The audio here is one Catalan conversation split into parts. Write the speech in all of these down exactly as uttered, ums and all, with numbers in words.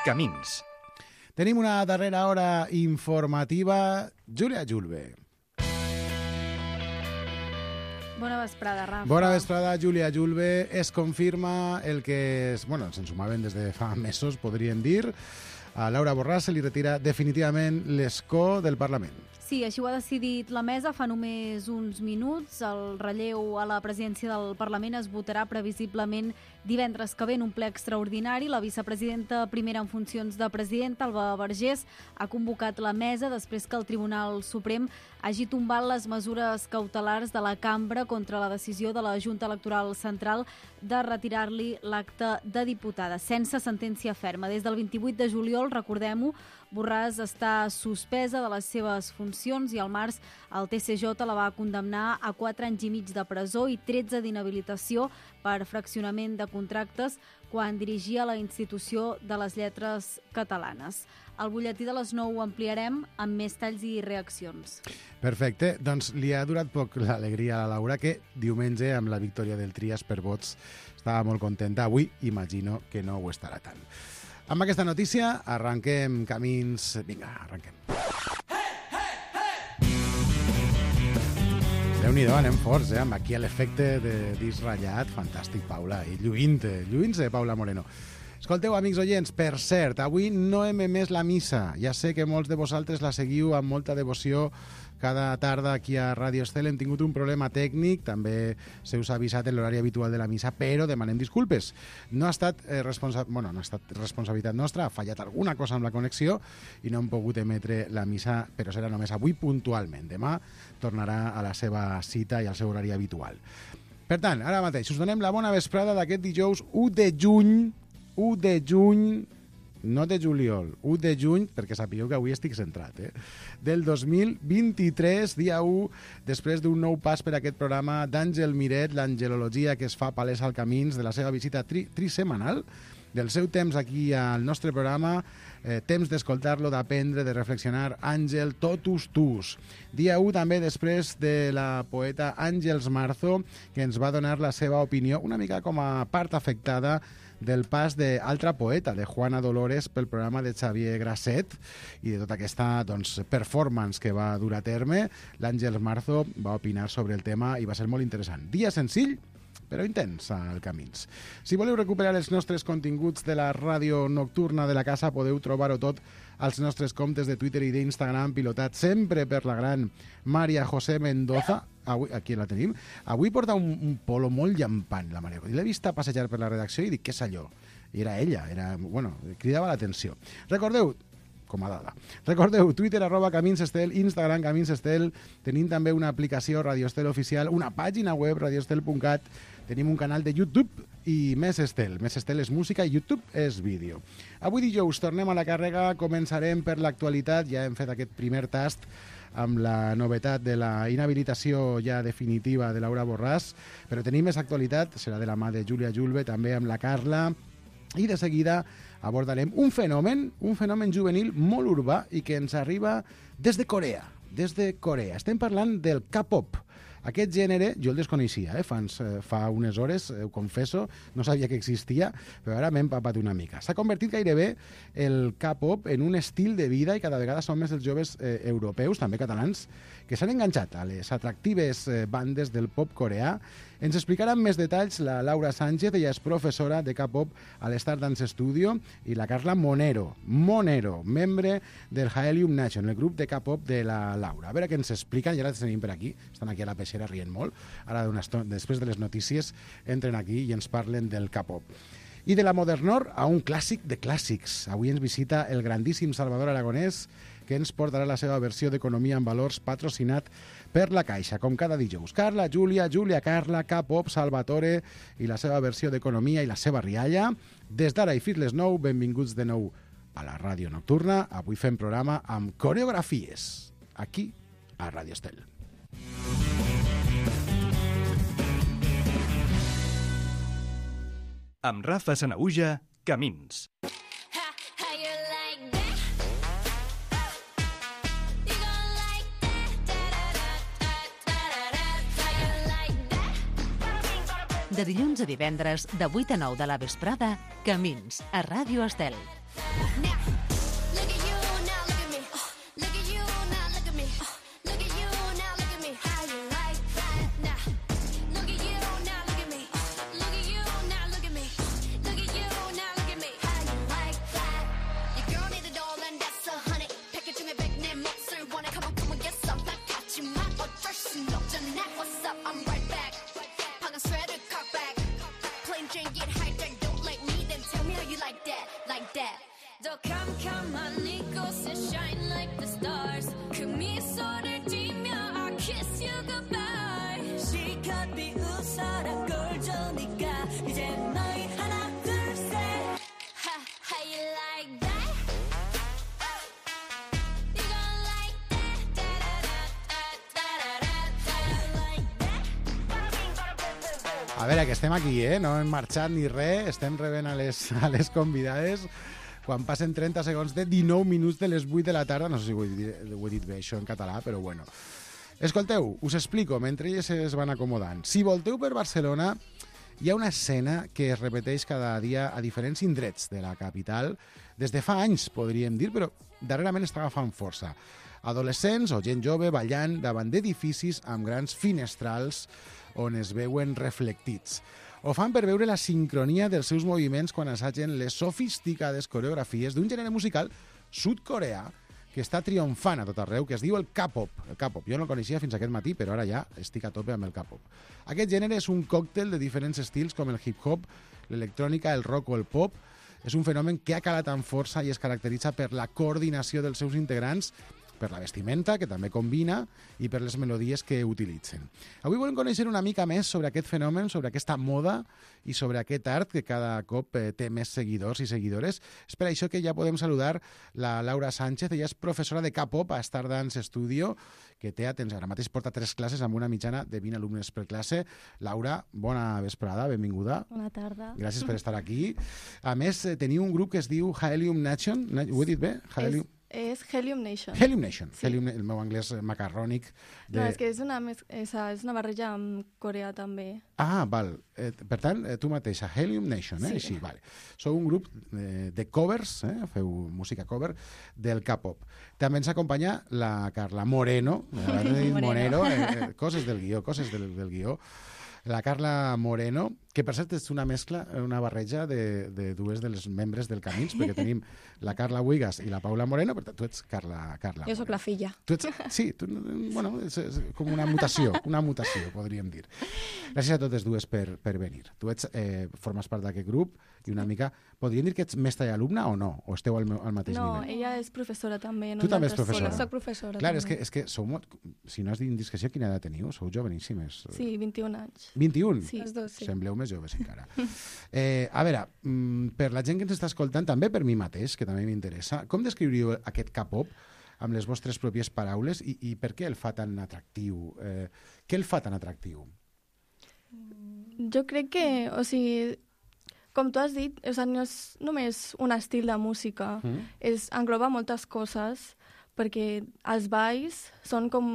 Camins. Tenim una darrera hora informativa. Júlia Julve. Bona vesprada, Rafa. Bona vesprada, Júlia Julve. Es confirma el que es, bueno, ens ensumaven des de fa mesos, podríem dir. A Laura Borràs se li retira definitivament l'escó del Parlament. Sí, així ho ha decidit la mesa fa només uns minuts. El relleu a la presidència del Parlament es votarà previsiblement divendres que ve en un ple extraordinari. La vicepresidenta primera en funcions de presidenta, Alba Vergés, ha convocat la mesa després que el Tribunal Suprem hagi tombat les mesures cautelars de la cambra contra la decisió de la Junta Electoral Central de retirar-li l'acte de diputada, sense sentència ferma. Des del vint-i-vuit de juliol, recordem-ho, Borràs està suspesa de les seves funcions i al març el T C J la va condemnar a quatre anys i mig de presó i tretze d'inhabilitació per fraccionament de contractes quan dirigia la institució de les lletres catalanes. Al butlletí de les nou ho ampliarem amb més talls i reaccions. Perfecte. Doncs li ha durat poc l'alegria a la Laura, que diumenge, amb la victòria del Trias per vots, estava molt contenta. Avui imagino que no ho estarà tant. Amb aquesta notícia arranquem camins... Vinga, arranquem. Déu-n'hi-do, anem forts, eh? Amb aquí l'efecte de disc ratllat. Fantàstic, Paula. I lluint-te, lluint-te, Paula Moreno. Escolteu, amics oients, per cert, avui no hem emès la missa. Ja sé que molts de vosaltres la seguiu amb molta devoció cada tarda aquí a Ràdio Estel. Hem tingut un problema tècnic, també se us ha avisat en l'horari habitual de la missa, però demanem disculpes. No ha estat, eh, responsa... bueno, no ha estat responsabilitat nostra, ha fallat alguna cosa amb la connexió i no hem pogut emetre la missa, però serà només avui puntualment. Demà tornarà a la seva cita i al seu horari habitual. Per tant, ara mateix us donem la bona vesprada d'aquest dijous u de juny, u de juny, no de juliol, u de juny, perquè sapigueu que avui estic centrat, eh? del dos mil vint-i-tres, dia u, després d'un nou pas per aquest programa d'Àngel Miret, l'angelologia que es fa palesa al Camins, de la seva visita tri trisemanal, del seu temps aquí al nostre programa, eh, temps d'escoltar-lo, d'aprendre, de reflexionar. Àngel, totus tus. Dia u també després de la poeta Àngels Marzo, que ens va donar la seva opinió, una mica com a part afectada del pas d'altra poeta, de Juana Dolores, pel programa de Xavier Grasset i de tota aquesta doncs, performance que va dur a terme. L'Àngels Marzo va opinar sobre el tema i va ser molt interessant. Dia senzill, però intens al Camins. Si voleu recuperar els nostres continguts de la ràdio nocturna de la casa, podeu trobar-ho tot als nostres comptes de Twitter i d'Instagram, pilotat sempre per la gran Maria José Mendoza. Avui, aquí la tenim. Avui porta un, un polo molt llampant, la Maria. L'he vista passejar per la redacció i dic, què és allò? I era ella, era, bueno, cridava l'atenció. Recordeu, com a dada, recordeu, Twitter, arroba Camins Estel, Instagram, Camins Estel, tenim també una aplicació Radio Estel oficial, una pàgina web, radioestel punt cat, tenim un canal de YouTube i Més Estel. Més Estel és música i YouTube és vídeo. Avui dijous tornem a la càrrega, començarem per l'actualitat, ja hem fet aquest primer tast amb la novetat de la inhabilitació ja definitiva de Laura Borràs, però tenim més actualitat, serà de la mà de Júlia Julve, també amb la Carla, i de seguida abordarem un fenomen, un fenomen juvenil molt urbà i que ens arriba des de Corea, des de Corea. Estem parlant del K-pop. Aquest gènere jo el desconeixia, eh? fa, fa unes hores, ho confesso, no sabia que existia, però ara m'he empapat una mica. S'ha convertit gairebé el K-pop en un estil de vida i cada vegada són més els joves eh, europeus, també catalans, que s'han enganxat a les atractives eh, bandes del pop coreà. Ens explicaran més detalls la Laura Sánchez, ella és professora de K-pop a l'Star Dance Studio, i la Carla Monero, Monero, membre del Helium Nation, el grup de K-pop de la Laura. A veure què ens expliquen, i ara els tenim per aquí, estan aquí a la peixera rient molt, ara després de les notícies entren aquí i ens parlen del K-pop. I de la Modernor a un clàssic de clàssics. Avui ens visita el grandíssim Salvador Aragonès, que ens portarà la seva versió d'Economia en Valors patrocinat per la Caixa, com cada dijous. Carla, Júlia, Júlia, Carla, K-pop, Salvatore i la seva versió d'Economia i la seva rialla. Des d'ara i fins les nou, benvinguts de nou a la ràdio nocturna. Avui fem programa amb coreografies, aquí a Ràdio Estel. Amb Rafa Sanahuja, Camins. De dilluns a divendres, de vuit a nou de la vesprada, Camins, a Ràdio Estel. A veure, que estem aquí, eh? No hem marxat ni res, estem rebent a les, a les convidades quan passen trenta segons de dinou minuts de les vuit de la tarda. No sé si ho he dit, ho he dit bé, això en català, però bueno. Escolteu, us explico, mentre elles es van acomodant. Si volteu per Barcelona, hi ha una escena que es repeteix cada dia a diferents indrets de la capital, des de fa anys, podríem dir, però darrerament està agafant força. Adolescents o gent jove ballant davant d'edificis amb grans finestrals on es veuen reflectits. Ho fan per veure la sincronia dels seus moviments quan assagen les sofisticades coreografies d'un gènere musical sud-coreà que està triomfant a tot arreu, que es diu el K-pop. El K-pop. Jo no el coneixia fins aquest matí, però ara ja estic a tope amb el K-pop. Aquest gènere és un còctel de diferents estils com el hip-hop, l'electrònica, el rock o el pop. És un fenomen que ha calat amb força i es caracteritza per la coordinació dels seus integrants, per la vestimenta, que també combina, i per les melodies que utilitzen. Avui volem conèixer una mica més sobre aquest fenomen, sobre aquesta moda i sobre aquest art que cada cop eh, té més seguidors i seguidores. És per això que ja podem saludar la Laura Sánchez. Ella és professora de K-pop a Stardance Studio, que té, atenció, ara mateix porta tres classes amb una mitjana de vint alumnes per classe. Laura, bona vesprada, benvinguda. Bona tarda. Gràcies per estar aquí. A més, eh, teniu un grup que es diu Helium Nation. Ho he dit bé? Helium... És Helium Nation. Helium Nation. Sí. Helium, el meu anglès macarrònic. De... No, és que és una, és, és una barreja amb Corea també. Ah, val. Eh, per tant, eh, tu mateixa, Helium Nation, eh? Sí. Així, vale. Sou un grup eh, de covers, eh? Feu música cover del K-pop. També ens acompanya la Carla Moreno, Moreno, Moreno eh, eh, coses del guió, coses del, del guió. La Carla Moreno, que per cert és una mescla, una barreja de, de dues de les membres del Camins, perquè tenim la Carla Huigas i la Paula Moreno, però tu ets Carla, Carla Jo sóc la filla. Tu ets, sí, tu, bueno, és, és com una mutació, una mutació, podríem dir. Gràcies a totes dues per, per venir. Tu ets, eh, formes part d'aquest grup i una mica... Podríem dir que ets mestra i alumna o no? O esteu al, al mateix no, nivell? No, ella és professora també. Tu també ets professora? Sí, soc professora Clar, també. és que, és que sou molt... Si no és d'indiscreció, quina edat teniu? Sou joveníssimes. Sí, vint-i-un anys. vint-i-un? Sí, els dos, sí. Sembleu més joves encara. eh, a veure, per la gent que ens està escoltant, també per mi mateix, que també m'interessa, com descriuríeu aquest K-pop amb les vostres pròpies paraules i, i per què el fa tan atractiu? Eh, què el fa tan atractiu? Jo crec que, o sigui, com tu has dit, o sigui, no és només un estil de música, mm. és, engloba moltes coses, perquè els balls són com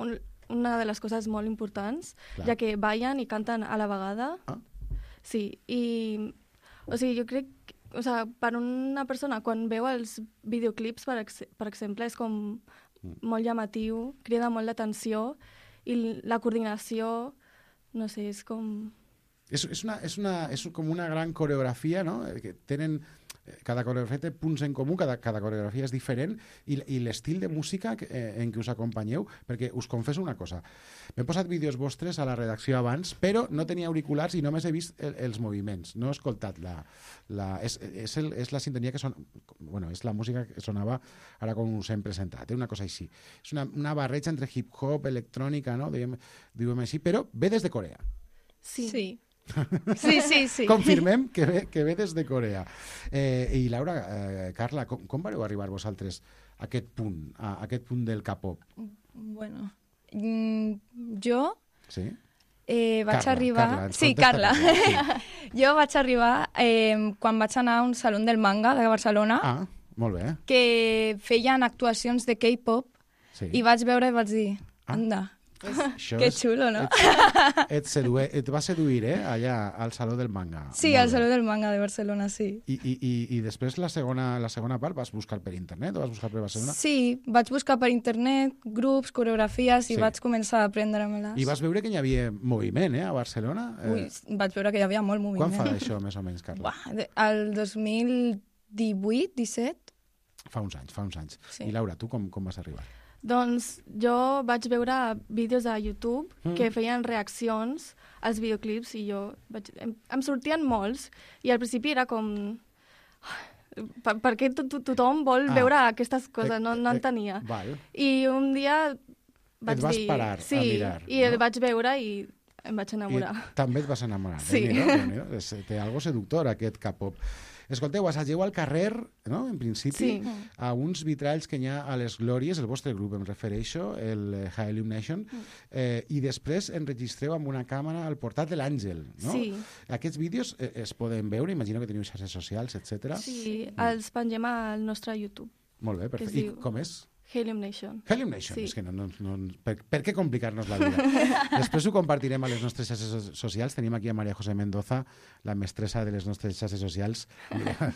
un, una de les coses molt importants, Clar. ja que ballen i canten a la vegada. Ah. Sí, i o sigui, jo crec que, o sigui, per una persona, quan veu els videoclips, per, ex per exemple, és com mm. molt llamatiu, crida molt l'atenció, i la coordinació, no sé, és com... És, és, una, és, una, és com una gran coreografia, no? Que tenen, cada coreografia té punts en comú, cada, cada coreografia és diferent, i, i l'estil de música que, eh, en què us acompanyeu, perquè us confesso una cosa, m'he posat vídeos vostres a la redacció abans, però no tenia auriculars i només he vist el, els moviments, no he escoltat la... la és, és, el, és la sintonia que sona... Bueno, és la música que sonava ara com us hem presentat, eh? Una cosa així. És una, una barreja entre hip-hop, electrònica, no? Diguem, diguem així, però ve des de Corea. Sí. Sí. Sí, sí, sí. Confirmem que ve, que ve des de Corea. Eh, I Laura, eh, Carla, com, com vareu arribar vosaltres a aquest punt, a, a aquest punt del K-pop? Bueno, mm, jo Sí? eh, vaig Carla, arribar... Carla, ens sí, contesta Carla. Carla, Jo vaig arribar eh, quan vaig anar a un saló del manga de Barcelona Ah, molt bé. que feien actuacions de K-pop Sí. i vaig veure i vaig dir, Ah. anda, Això Que és- xulo, no? Et, et, sedue, et va seduir, eh? Allà, al Saló del Manga. Sí, Molt al bé. Saló del Manga de Barcelona, sí. I, i, i, i després la segona, la segona part vas buscar per internet o vas buscar per Barcelona? Sí, vaig buscar per internet grups, coreografies i Sí. vaig començar a aprendre-me-les. I vas veure que hi havia moviment, eh, a Barcelona? Ui, vaig veure que hi havia molt moviment. Quan fa d'això, més o menys, Carla? Buah, de- el dos mil divuit, disset. Fa uns anys, fa uns anys. Sí. I Laura, tu com, com vas arribar? Doncs jo vaig veure vídeos a YouTube Mm. que feien reaccions als videoclips i jo vaig... Em, em sortien molts i al principi era com... Per, per què to, to, tothom vol Ah. veure aquestes coses? No, no Eh, eh, entenia. Val. I un dia vaig vas dir... parar a sí, mirar, i no? el vaig veure i em vaig enamorar. I també et vas enamorar. Sí. Déu-n'hi-do, Déu-n'hi-do. És- Té algo seductor, aquest K-pop. Escolteu, assageu al carrer, no?, en principi, Sí. a uns vitralls que hi ha a les Glòries, el vostre grup em refereixo, el eh, High Illumination, eh, i després enregistreu amb una càmera al portat de l'Àngel, no? Sí. Aquests vídeos eh, es poden veure, imagino que teniu xarxes socials, etcètera. Sí, els pengem al nostre YouTube. Molt bé, perfecte. es I diu- com és? Helium Nation. Helium Nation, Sí. és que no, no, no, per, per què complicar-nos la vida? Després ho compartirem a les nostres xarxes so- socials. Tenim aquí a Maria José Mendoza, la mestressa de les nostres xarxes socials,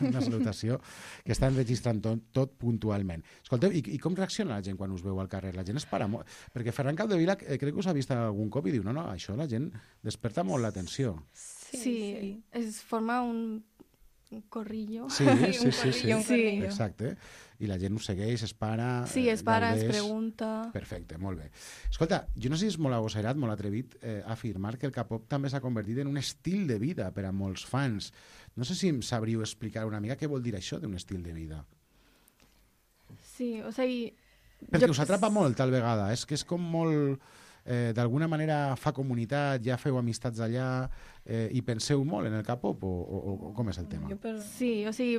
una salutació, que està enregistrant tot, tot puntualment. Escolteu, i, i com reacciona la gent quan us veu al carrer? La gent es para molt? Perquè Ferran Capdevila eh, crec que us ha vist algun cop i diu, no, no, això la gent desperta molt l'atenció. Sí, sí. Es forma un, un corrillo. Sí, sí, sí, sí. un corrillo. Exacte. I la gent us segueix, es para... Sí, eh, es para, es gaudeix. pregunta... Perfecte, molt bé. Escolta, jo no sé si és molt agosserat, molt atrevit eh, afirmar que el K-pop també s'ha convertit en un estil de vida per a molts fans. No sé si em sabríeu explicar una mica què vol dir això d'un estil de vida. Sí, o sigui... Perquè jo- us atrapa molt, tal vegada. És que és com molt... Eh, d'alguna manera fa comunitat, ja feu amistats allà eh, i penseu molt en el K-pop o, o, o com és el tema? Jo per... Sí, o sigui,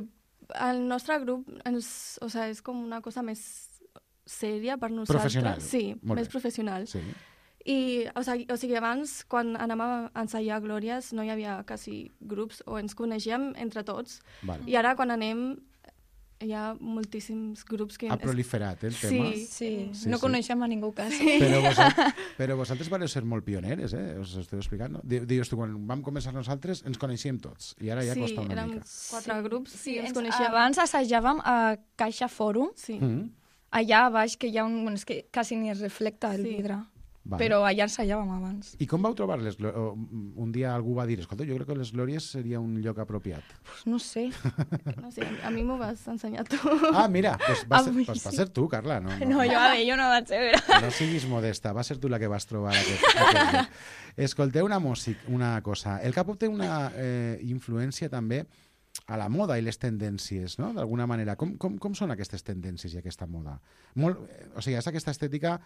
el nostre grup ens, o sigui, és com una cosa més sèria per nosaltres. Professional. Sí, Molt més bé. professional. Sí. I, o sigui, o sigui, abans, quan anàvem a ensaiar Glòries, no hi havia quasi grups, o ens coneixíem entre tots. Val. I ara, quan anem, hi ha moltíssims grups que... Ha proliferat eh, el tema. Sí. Sí, Sí, no sí. coneixem a ningú quasi. Però, vosaltres, però vosaltres vareu ser molt pioneres, eh? Us esteu explicant, no? Di- Dius tu, quan vam començar nosaltres ens coneixíem tots i ara ja sí, costa una érem mica. quatre grups Sí, i ens ens, coneixíem. abans assajàvem a Caixa Fòrum, Sí. Mm. allà a baix, que hi ha un... Bueno, és que quasi ni es reflecta el Sí. vidre. Vale. Però allà ensaiàvem abans. I com vau trobar les glò- o, un dia algú va dir, escolta, jo crec que les Glòries seria un lloc apropiat. Pues no sé. No sé, a mi m'ho vas ensenyar tu. Ah, mira, pues va, ser, Avui pues va sí. ser tu, Carla. No, no, No, jo, a veure, jo no vaig ser. no siguis modesta, va ser tu la que vas trobar aquest, aquest lloc. Escolteu una, músic, una cosa. El K-pop té una eh, influència també a la moda i les tendències, no?, d'alguna manera. Com, com, com són aquestes tendències i aquesta moda? Molt, eh, o sigui, és aquesta estètica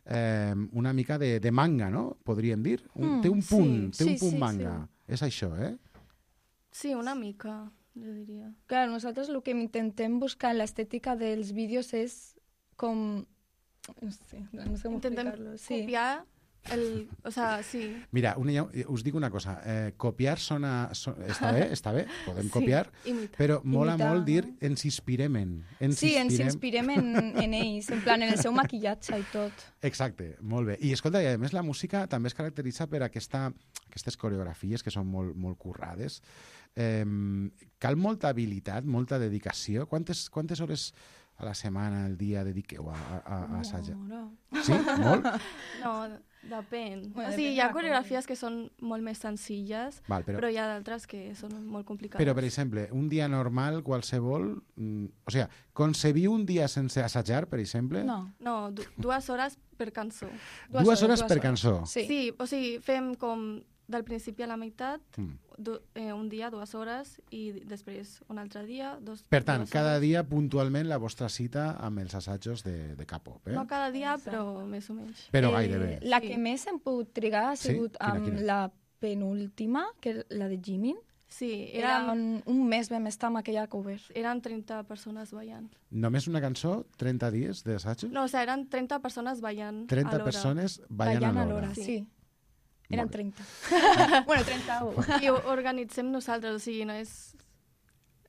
eh, una mica de, de manga, no?, podríem dir. Un, Mm, té un punt, sí, té un sí, punt sí, manga. sí. És això, eh? Sí, una mica, jo diria. Clar, nosaltres el que intentem buscar en l'estètica dels vídeos és com... No sé, no sé com Intentem explicar-lo. Sí. copiar el... O sea, sí. Mira, una, us dic una cosa. Eh, copiar sona, so, està bé, està bé, podem Sí, copiar, imitar. però mola Imitar, molt dir no? ens inspirem en. Ens Sí, ens inspirem- inspirem en, en ells, en plan, en el seu maquillatge i tot. Exacte, molt bé. I escolta, i a més la música també es caracteritza per aquesta, aquestes coreografies que són molt, molt currades. Eh, cal molta habilitat, molta dedicació. Quantes, quantes hores a la setmana, al dia, dediqueu a, a, a, a assajar? No, Sí? Molt? No, depèn. Bueno, o sigui, depèn hi ha de la coreografies que són molt més senzilles, Val, però, però hi ha d'altres que són molt complicades. però, per exemple, un dia normal, qualsevol... Mm, o sigui, concebiu un dia sense assajar, per exemple? no. No, du dues hores per cançó. Dues, Dues hores, hores, per dues cançó? Sí. Sí, o sigui, fem com del principi a la meitat, Mm. du eh, un dia, dues hores, i després un altre dia, dos Per tant, dues cada hores. dia puntualment la vostra cita amb els assajos de, de K-pop, eh? No cada dia, però més o menys. Però Eh, gairebé. La Sí. que més hem pogut trigar ha Sí? sigut Quina, amb quina? la penúltima, que és la de Jimin. Sí, Era eren, un, un mes vam estar amb aquella cover. eren trenta persones ballant. Només una cançó, trenta dies d'assajos? No, o sigui, eren trenta persones ballant trenta alhora. persones ballant, Ballant a a l'hora. l'hora, Sí. sí. Molt Eren bé. trenta. bueno, trenta-u. I ho organitzem nosaltres, o sigui, no és...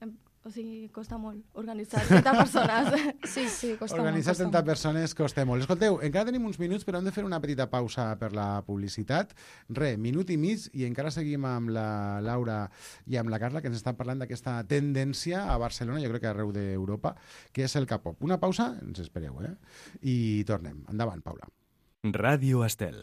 em- o sigui, costa molt organitzar trenta persones. Sí, sí, costa Organitzar molt. trenta persones costa molt. Escolteu, encara tenim uns minuts, però hem de fer una petita pausa per la publicitat. Re, minut i mig, i encara seguim amb la Laura i amb la Carla, que ens estan parlant d'aquesta tendència a Barcelona, jo crec que arreu d'Europa, que és el K-pop. Una pausa, ens espereu, eh? I tornem. Endavant, Paula. Ràdio Estel.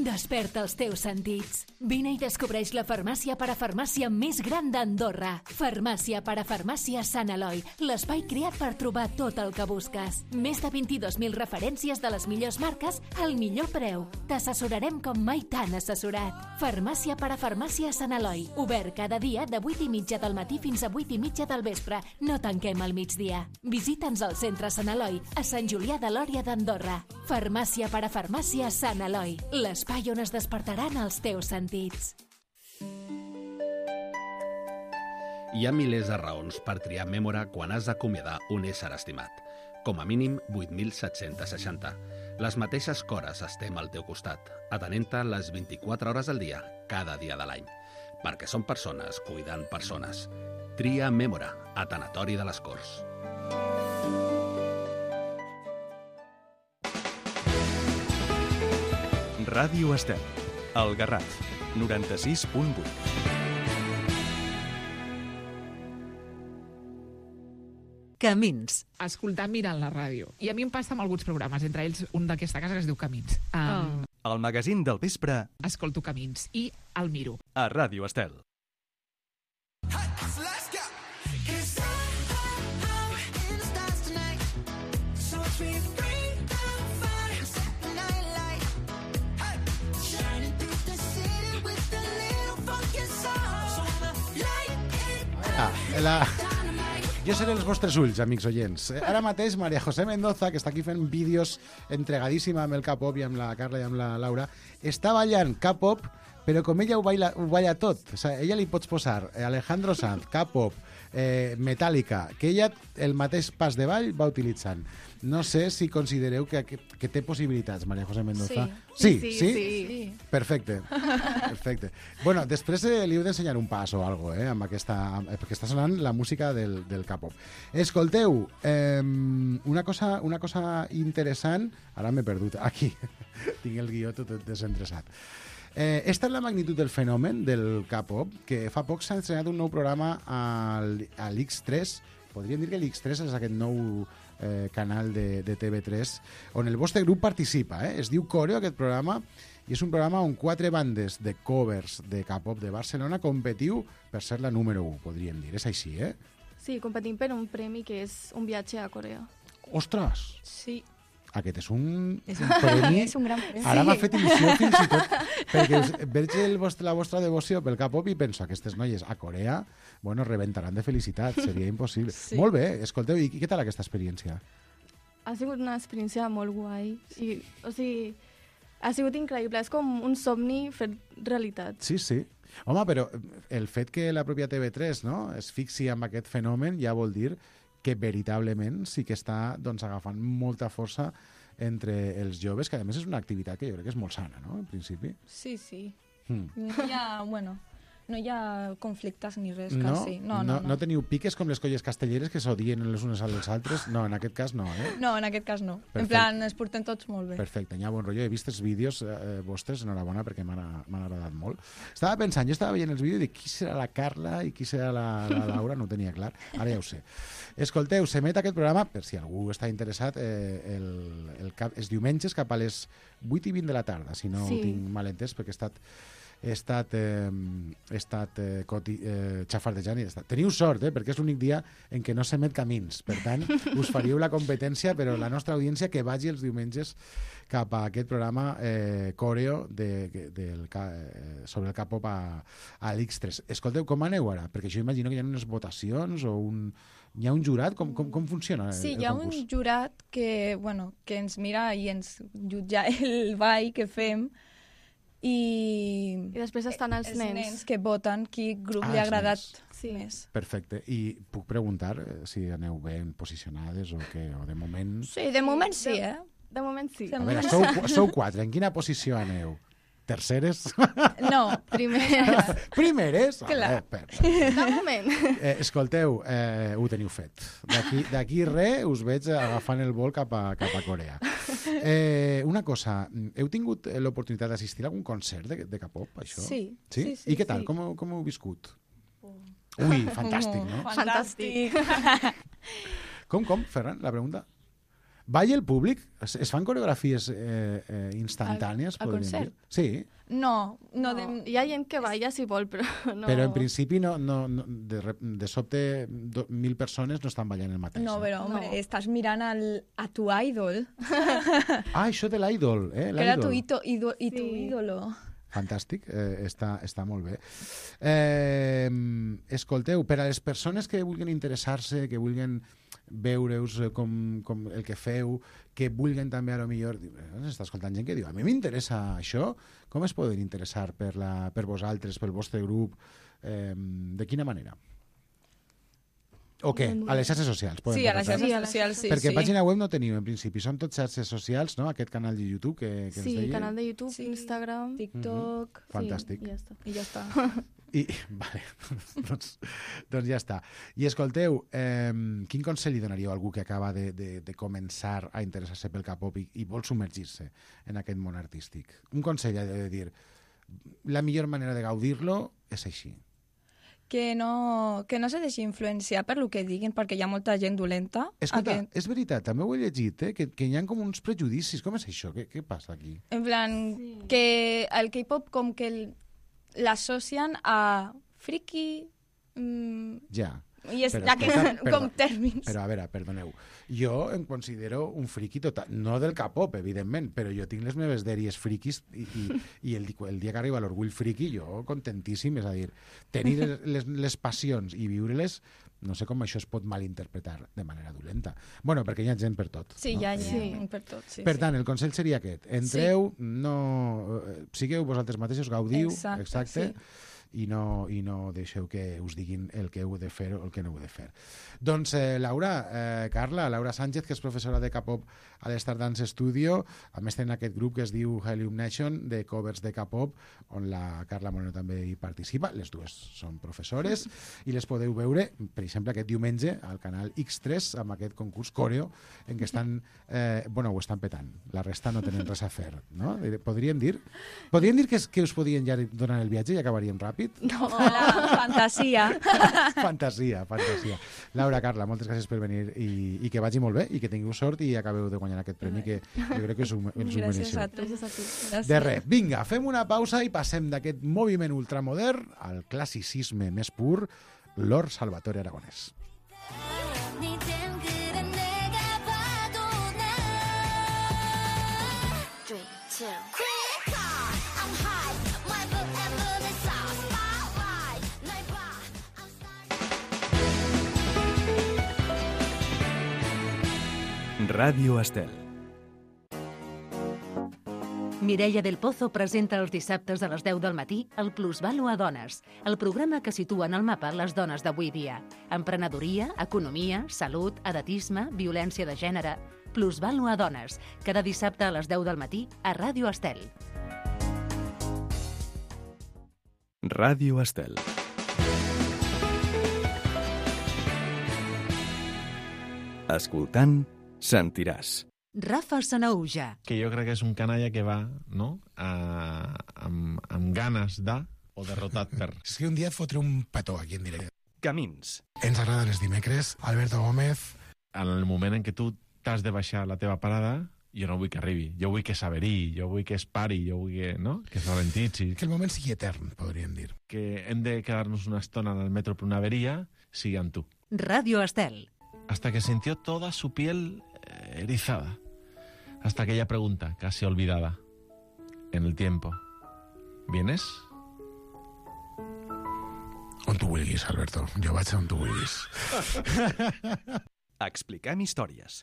Desperta els teus sentits. Vine i descobreix la farmàcia parafarmàcia més gran d'Andorra. Farmàcia parafarmàcia Sant Eloi, l'espai creat per trobar tot el que busques. Més de vint-i-dos mil referències de les millors marques al millor preu. T'assessorarem com mai t'han assessorat. Farmàcia parafarmàcia Sant Eloi, obert cada dia de vuit i mitja del matí fins a vuit i mitja del vespre. No tanquem al migdia. Visita'ns al centre Sant Eloi, a Sant Julià de Lòria d'Andorra. Farmàcia parafarmàcia Sant Eloi, l'espai on es despertaran els teus sentits. Hi ha milers de raons per triar Mémora quan has d'acomiadar un ésser estimat. Com a mínim vuit mil set-cents seixanta. Les mateixes cores estem al teu costat, atenent-te les vint-i-quatre hores del dia, cada dia de l'any. Perquè som persones cuidant persones. Tria Mémora, a Tanatori de les Corts. Ràdio Estel, el Garraf, noranta-sis punt vuit. Camins. Escoltar mirant la ràdio. I a mi em passa amb alguns programes, entre ells un d'aquesta casa que es diu Camins. Um, El magazín del vespre Escolto Camins i el miro. a Ràdio Estel. Ah, la... Jo seré els vostres ulls, amics oients. Ara mateix, Maria José Mendoza, que està aquí fent vídeos entregadíssima amb el K-pop i amb la Carla i amb la Laura, està ballant K-pop, però com ella ho balla, ho balla tot. O sigui, ella li pots posar Alejandro Sanz, K-pop, eh, Metallica, que ella el mateix pas de ball va utilitzant. No sé si considereu que, que, que té possibilitats, Maria José Mendoza. Sí, sí, sí, sí? sí. sí. Perfecte, perfecte. Bueno, després eh, li heu d'ensenyar un pas o algo, eh, amb aquesta, amb, perquè està sonant la música del, del K-pop. Escolteu, eh, una, cosa, una cosa interessant, ara m'he perdut, aquí, tinc el guió tot desinteressat. Eh, esta és la magnitud del fenomen del K-pop, que fa poc s'ha estrenat un nou programa al, a l'X tres, podríem dir que l'X tres és aquest nou eh, canal de, de T V tres, on el vostre grup participa, eh? Es diu Coreo, aquest programa, i és un programa on quatre bandes de covers de K-pop de Barcelona competiu per ser la número u, podríem dir. És així, eh? Sí, competim per un premi que és un viatge a Corea. Ostres! Sí. Aquest és un, és un premi. És un gran premi. Ara m'ha fet il·lusió fins i tot, perquè veig el vostre, la vostra devoció pel K-pop i penso, aquestes noies a Corea, bueno, rebentaran de felicitat, seria impossible. Sí. Molt bé, escolteu, i què tal aquesta experiència? Ha sigut una experiència molt guai. I, o sigui, ha sigut increïble. És com un somni fet realitat. Sí, sí. Home, però el fet que la pròpia T V tres, no, es fixi en aquest fenomen ja vol dir que veritablement sí que està doncs, agafant molta força entre els joves, que a més és una activitat que jo crec que és molt sana, no?, en principi. Sí, sí. Mm. No hi ha, bueno, no hi ha conflictes ni res, No? quasi. No, no, no, no. no teniu piques com les colles castelleres que s'odien les unes als altres? No, en aquest cas no, eh? No, en aquest cas no. Perfecte. En plan, es porten tots molt bé. Perfecte, hi ha bon rotllo. He vist els vídeos eh, vostres, enhorabona, perquè m'han m'han agradat molt. Estava pensant, jo estava veient els vídeos i dic, qui serà la Carla i qui serà la, la Laura? No ho tenia clar. Ara ja ho sé. Escolteu, s'emet aquest programa, per si algú està interessat, eh, el, el cap, els diumenges cap a les vuit i vint de la tarda, si no Sí. ho tinc mal entès, perquè he estat he estat, eh, he estat eh, coti, eh, xafardejant i he estat. Teniu sort, eh, perquè és l'únic dia en què no s'emet Camins. Per tant, us faríeu la competència, però la nostra audiència que vagi els diumenges cap a aquest programa eh, Coreo de, de, del, eh, sobre el K-pop a, a l'X tres. Escolteu, com aneu ara? Perquè jo imagino que hi ha unes votacions o un... Hi ha un jurat? Com, com, com funciona el, Sí, el hi ha concurs? un jurat que, bueno, que ens mira i ens jutja el ball que fem i, I després estan els, els nens. nens que voten qui grup Ah, li ha els agradat nens. Sí. més. Perfecte. I puc preguntar eh, si aneu ben posicionades o què? O de moment... Sí, de moment sí, eh? De moment sí. Sí. A veure, sou, sou quatre. En quina posició aneu? Terceres? No, Primeres. Primeres? Clar. Eh, per, per. De moment. Eh, escolteu, eh, ho teniu fet. D'aquí d'aquí res us veig agafant el vol cap a, cap a Corea. Eh, una cosa, heu tingut l'oportunitat d'assistir a algun concert de, de K-pop, això? Sí. Sí? Sí, sí, I què tal? sí. Com, com ho heu viscut? Ui, fantàstic, no? Fantàstic. Com, com, Ferran, la pregunta? Balla el públic? Es, es fan coreografies eh, eh, instantànies? Al- al podríem concert? dir? Sí, No, no, No, de... hi ha gent que balla si vol, però no... però en principi no, no, no, de, rep- de sobte do, mil persones no estan ballant el mateix. No, però, home, No. estàs mirant el, a tu idol, Ah, això de l'idol, eh? que era tu, L'idol. ito, ido, i tu Sí. ídolo. Fantàstic, eh, està, està molt bé. Eh, escolteu, per a les persones que vulguin interessar-se, que vulguin veure-us eh, com, com el que feu, que vulguin també, a lo millor, s'està escoltant gent que diu, a mi m'interessa això, com es poden interessar per, la, per vosaltres, pel vostre grup, eh, de quina manera? O què? A les xarxes socials? Podem Sí, a les contactar? xarxes Sí, a les socials, sí, Perquè sí. pàgina web no teniu, en principi. Són tot xarxes socials, no? Aquest canal de YouTube que, que ens Sí, deia. canal de YouTube, Sí. Instagram... TikTok, Fantàstic. Sí, i ja està. i ja està. I, vale, doncs, doncs ja està. I escolteu, eh, quin consell li donaríeu a algú que acaba de, de, de començar a interessar-se pel K-pop i, i vol submergir-se en aquest món artístic? Un consell ha de dir, la millor manera de gaudir-lo és així. Que no, que no se deixi influenciar per lo que diguin, perquè hi ha molta gent dolenta. Escolta, Aquest- és veritat, també ho he llegit, eh, que, que hi ha com uns prejudicis. Com és això? Què, què passa aquí? En plan, sí. que el K-pop com que el- l'associen a friki... Mm, Ja. I és Però, aquests escolta, com perdó, tèrmins. Però, a veure, perdoneu, jo em considero un friqui total, no del K-pop, evidentment, però jo tinc les meves dèries friquis i, i, i el, di- el dia que arriba l'orgull friqui, jo contentíssim, és a dir, tenir les, les, les passions i viure-les, no sé com això es pot malinterpretar de manera dolenta. Bueno, perquè hi ha gent per tot. Sí, no? ja, ja, Sí. per tot. Sí, Per sí. tant, el consell seria aquest. Entreu, no, eh, sigueu vosaltres mateixos, gaudiu, Exacte, exacte, sí. i no, i no deixeu que us diguin el que heu de fer o el que no heu de fer. Doncs, eh, Laura, eh, Carla, Laura Sánchez, que és professora de K-pop a l'Star Dance Studio, a més tenen aquest grup que es diu Helium Nation, de covers de K-pop, on la Carla Moreno també hi participa, les dues són professores, i les podeu veure, per exemple, aquest diumenge al canal X tres, amb aquest concurs coreo, en què estan, eh, bueno, ho estan petant, la resta no tenen res a fer, no? Podríem dir? Podríem dir que, es, que us podien ja donar el viatge i acabaríem ràpid? No, la fantasia. Fantasia, fantasia. Laura, Carla, moltes gràcies per venir i, i que vagi molt bé i que tingueu sort i acabeu de guanyar aquest premi que jo crec que us ho, us ho Gràcies a mereixeu. tu. Gràcies a tu. Gràcies. De res, vinga, fem una pausa i passem d'aquest moviment ultramodern al classicisme més pur, Lord Salvatore Aragonès. Ràdio Estel. Mireia del Pozo presenta els dissabtes a les deu del matí el Plusvalo a Dones, el programa que situa en el mapa les dones d'avui dia. Emprenedoria, economia, salut, edatisme, violència de gènere... Plusvalo a Dones, cada dissabte a les deu del matí a Ràdio Estel. Ràdio Estel. Escoltant, sentiràs. Rafa Sanauja. Que jo crec que és un canalla que va, no?, a, amb, amb ganes de o derrotat per. És que un dia et fotré un petó aquí en directe. Camins. Ens agraden els dimecres. Alberto Gómez. En el moment en què tu t'has de baixar a la teva parada, jo no vull que arribi. Jo vull que s'averi, jo vull que es pari, jo vull que, no?, que es ralentitzi. Que el moment sigui etern, podríem dir. Que hem de quedar-nos una estona en el metro per una averia, sigui amb tu. Ràdio Estel. Hasta que sintió toda su piel eh, erizada. Hasta aquella pregunta, casi olvidada. En el tiempo. ¿Vienes? On tu vulguis, Alberto. Jo vaig on tu vulguis. Expliquem històries.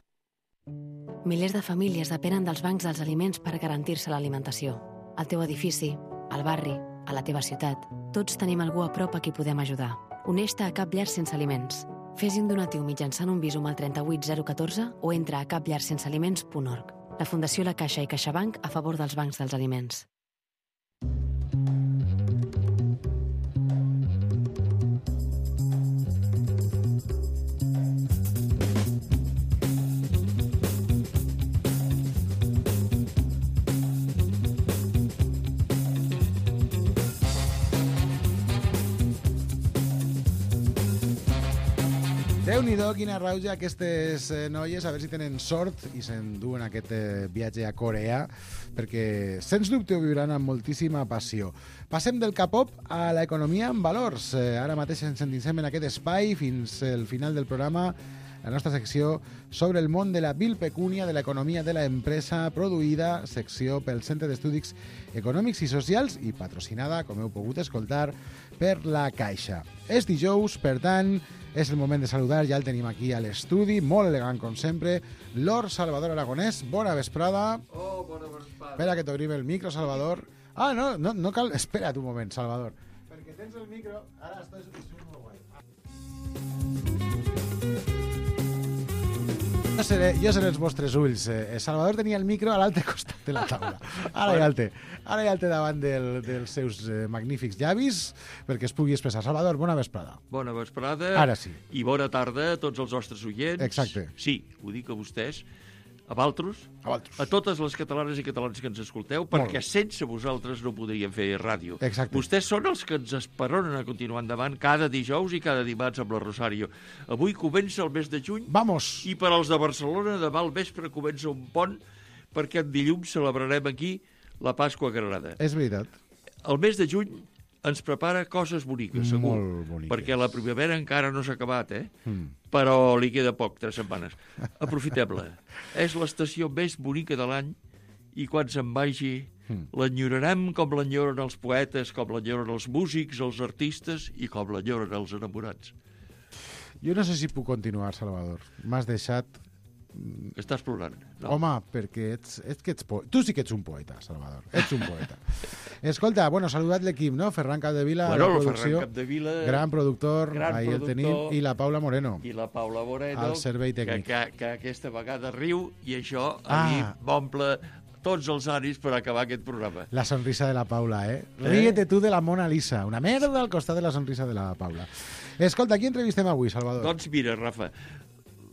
Milers de famílies depenen dels bancs dels aliments per garantir-se l'alimentació. Al teu edifici, al barri, a la teva ciutat, tots tenim algú a prop a qui podem ajudar. Uneix-te a Cap Llar Sense Aliments. Fes un donatiu mitjançant un Bizum al trenta-vuit zero catorze o entra a cap llar sense aliments punt org. La Fundació La Caixa i CaixaBank a favor dels bancs dels aliments. Déu-n'hi-do, quina rauja aquestes eh, noies, a veure si tenen sort i s'enduen aquest eh, viatge a Corea, perquè sens dubte ho viuran amb moltíssima passió. Passem del K-pop a l'economia en valors. Eh, ara mateix ens endinsem en aquest espai fins al final del programa, la nostra secció sobre el món de la vil pecúnia, de l'economia de l'empresa, produïda, secció pel Centre d'Estudis Econòmics i Socials i patrocinada, com heu pogut escoltar, per la Caixa. És dijous, per tant, és el moment de saludar, ja el tenim aquí a l'estudi, molt elegant com sempre, Lord Salvador Aragonès. Bona vesprada. Oh, bona vesprada. Espera que t'obrim el micro, Salvador. Ah, no, no, no cal... Espera't un moment, Salvador. Perquè tens el micro... Ara estàs... molt guai. Jo seré, jo seré els vostres ulls. Eh, Salvador tenia el micro a l'altre costat de la taula. Ara ja el té. Ara ja el té davant del, dels seus eh, magnífics llavis perquè es pugui expressar. Salvador, bona vesprada. Bona vesprada. Ara sí. I bona tarda a tots els nostres oients. Exacte. Sí, ho dic a vostès, a Valtros, a, Valtros. a totes les catalanes i catalans que ens escolteu, perquè sense vosaltres no podríem fer ràdio. Exacte. Vostès són els que ens esperonen a continuar endavant cada dijous i cada dimarts amb la Rosario. Avui comença el mes de juny. Vamos! I per als de Barcelona, demà al vespre comença un pont, perquè en dilluns celebrarem aquí la Pasqua Granada. És veritat. El mes de juny ens prepara coses boniques, segur. Molt boniques. Perquè la primavera encara no s'ha acabat, eh? Mm. Però li queda poc, tres setmanes. Aprofitem-la. És l'estació més bonica de l'any i quan se'n vagi mm. l'enyorarem com l'enyoren els poetes, com l'enyoren els músics, els artistes i com l'enyoren els enamorats. Jo no sé si puc continuar, Salvador. M'has deixat... Estàs plorant. No. Home, perquè ets, ets que ets po... tu sí que ets un poeta, Salvador. Ets un poeta. Escolta, bueno, saludat l'equip, no? Ferran Capdevila, bueno, la producció. Ferran Capdevila, gran productor, gran ahir el tenim, i la Paula Moreno. I la Paula Moreno, al servei tècnic. Que, que, que aquesta vegada riu i això a ah. mi m'omple tots els ànims per acabar aquest programa. La sonrisa de la Paula, eh? eh? Ríete tu de la Mona Lisa. Una merda al costat de la sonrisa de la Paula. Escolta, qui entrevistem avui, Salvador? Doncs mira, Rafa,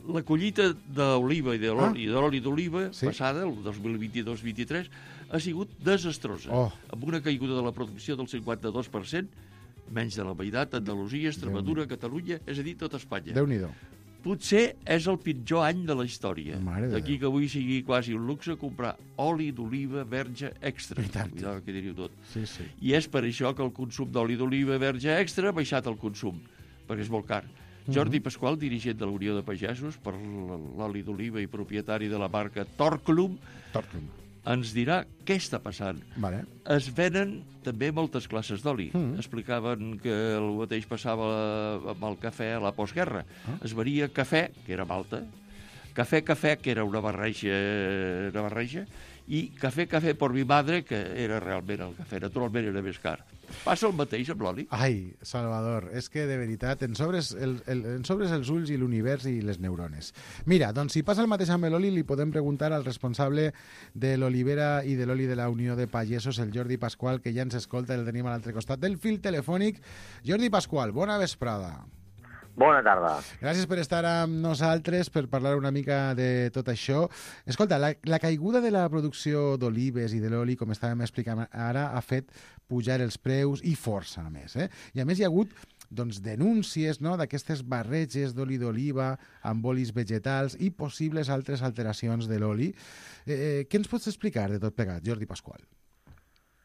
la collita d'oliva i de l'oli ah. d'oliva sí? passada, el dos mil vint-i-dos vint-i-tres, ha sigut desastrosa, oh. amb una caiguda de la producció del cinquanta-dos per cent, menys de la meitat, Andalusia, Extremadura, Catalunya, és a dir, tot Espanya. Déu-n'hi-do. Potser és el pitjor any de la història. D'aquí que avui sigui quasi un luxe comprar oli d'oliva verge extra. Cuidado que diríeu tot. Sí, sí. I és per això que el consum d'oli d'oliva verge extra ha baixat el consum, perquè és molt car. Jordi Pasqual, dirigent de la Unió de Pagesos per l'oli d'oliva i propietari de la marca Torclum, Torclum. ens dirà què està passant. Vale. Es venen també moltes classes d'oli. Mm. Explicaven que el mateix passava amb el cafè a la postguerra. Ah. Es venia cafè, que era malta, cafè-cafè, que era una barreja, una barreja, i cafè-cafè por mi madre, que era realment el cafè. Naturalment era més car. Passa el mateix amb l'oli? Ai, Salvador, és que de veritat en sobres, el, el, en sobres els ulls i l'univers i les neurones. Mira, doncs si passa el mateix amb l'oli, li podem preguntar al responsable de l'olivera i de l'oli de la Unió de Pagesos, el Jordi Pasqual, que ja ens escolta, el tenim a l'altre costat del fil telefònic. Jordi Pasqual, bona vesprada. Bona tarda. Gràcies per estar amb nosaltres, per parlar una mica de tot això. Escolta, la, la caiguda de la producció d'olives i de l'oli, com estàvem explicant ara, ha fet pujar els preus i força, a més. Eh? I a més hi ha hagut doncs, denúncies, no?, d'aquestes barreges d'oli d'oliva amb olis vegetals i possibles altres alteracions de l'oli. Eh, què ens pots explicar de tot plegat, Jordi Pasqual?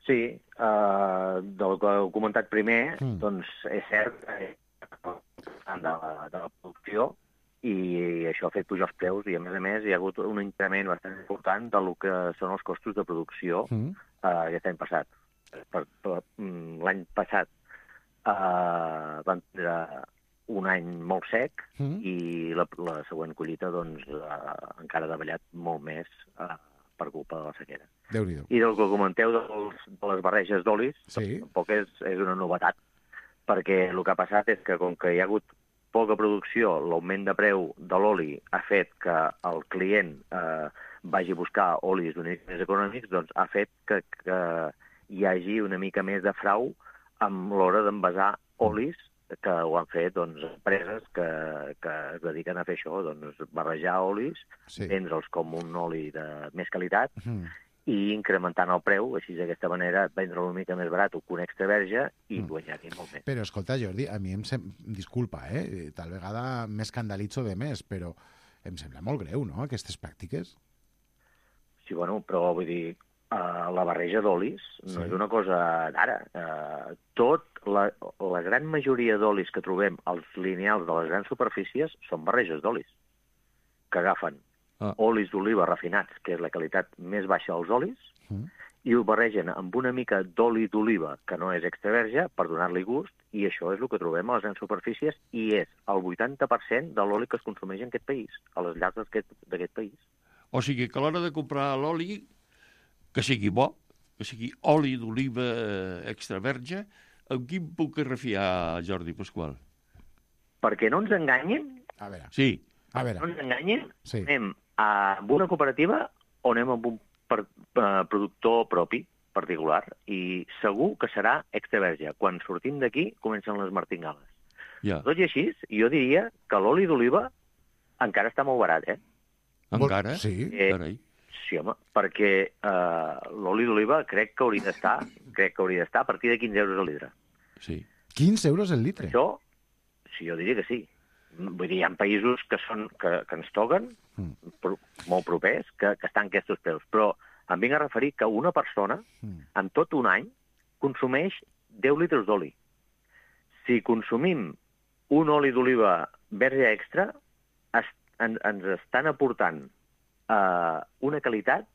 Sí, uh, del que heu comentat primer, mm. doncs és cert que de la, de la producció i això ha fet pujar els preus i a més a més hi ha hagut un increment bastant important del que són els costos de producció mm. uh, aquest any passat. Per, per, l'any passat uh, van tindre un any molt sec mm. i la, la següent collita doncs, uh, encara ha davallat molt més uh, per culpa de la sequera. Déu-n'hi-do. I del que comenteu dels, de les barreges d'olis, sí. tampoc és, és una novetat, perquè el que ha passat és que com que hi ha hagut poca producció, l'augment de preu de l'oli ha fet que el client eh, vagi a buscar olis una mica més econòmics, doncs ha fet que, que hi hagi una mica més de frau amb l'hora d'envasar olis que ho han fet doncs, empreses que, que es dediquen a fer això, doncs, barrejar olis, sí. vendre'ls com un oli de més qualitat, mm. i incrementant el preu, així d'aquesta manera vendre-lo una mica més barat que un extra verge i mm. guanyar-hi molt més. Però escolta, Jordi, a mi em sem... disculpa, eh? Tal vegada m'escandalitzo de més, però em sembla molt greu, no?, aquestes pràctiques. Sí, bueno, però vull dir, uh, la barreja d'olis no sí. és una cosa d'ara. Uh, tot, la, la gran majoria d'olis que trobem als lineals de les grans superfícies són barreges d'olis, que agafen ah. olis d'oliva refinats, que és la qualitat més baixa dels olis, mm. i ho barregen amb una mica d'oli d'oliva, que no és extra verge, per donar-li gust, i això és el que trobem a les grans superfícies, i és el vuitanta per cent de l'oli que es consumeix en aquest país, a les llars d'aquest país. O sigui que a l'hora de comprar l'oli, que sigui bo, que sigui oli d'oliva extra verge, amb qui em puc refiar, Jordi Pasqual? Perquè no ens enganyin, a veure. Sí. A veure. no ens enganyin, sí. anem a una cooperativa o anem amb un per, uh, productor propi, particular, i segur que serà extra verge. Quan sortim d'aquí, comencen les martingales. Ja. Tot i així, jo diria que l'oli d'oliva encara està molt barat, eh? Encara? Sí. Eh, sí, home, perquè eh, l'oli d'oliva crec que hauria d'estar crec que hauria d'estar a partir de quinze euros al litre. Sí. quinze euros el litre? Això, sí, jo diria que sí. Vull dir, hi ha països que, són, que, que ens toquen, mm. pro, molt propers, que, que estan aquests preus. Però em vinc a referir que una persona, mm. en tot un any, consumeix deu litres d'oli. Si consumim un oli d'oliva verge extra, es, en, ens estan aportant uh, una qualitat,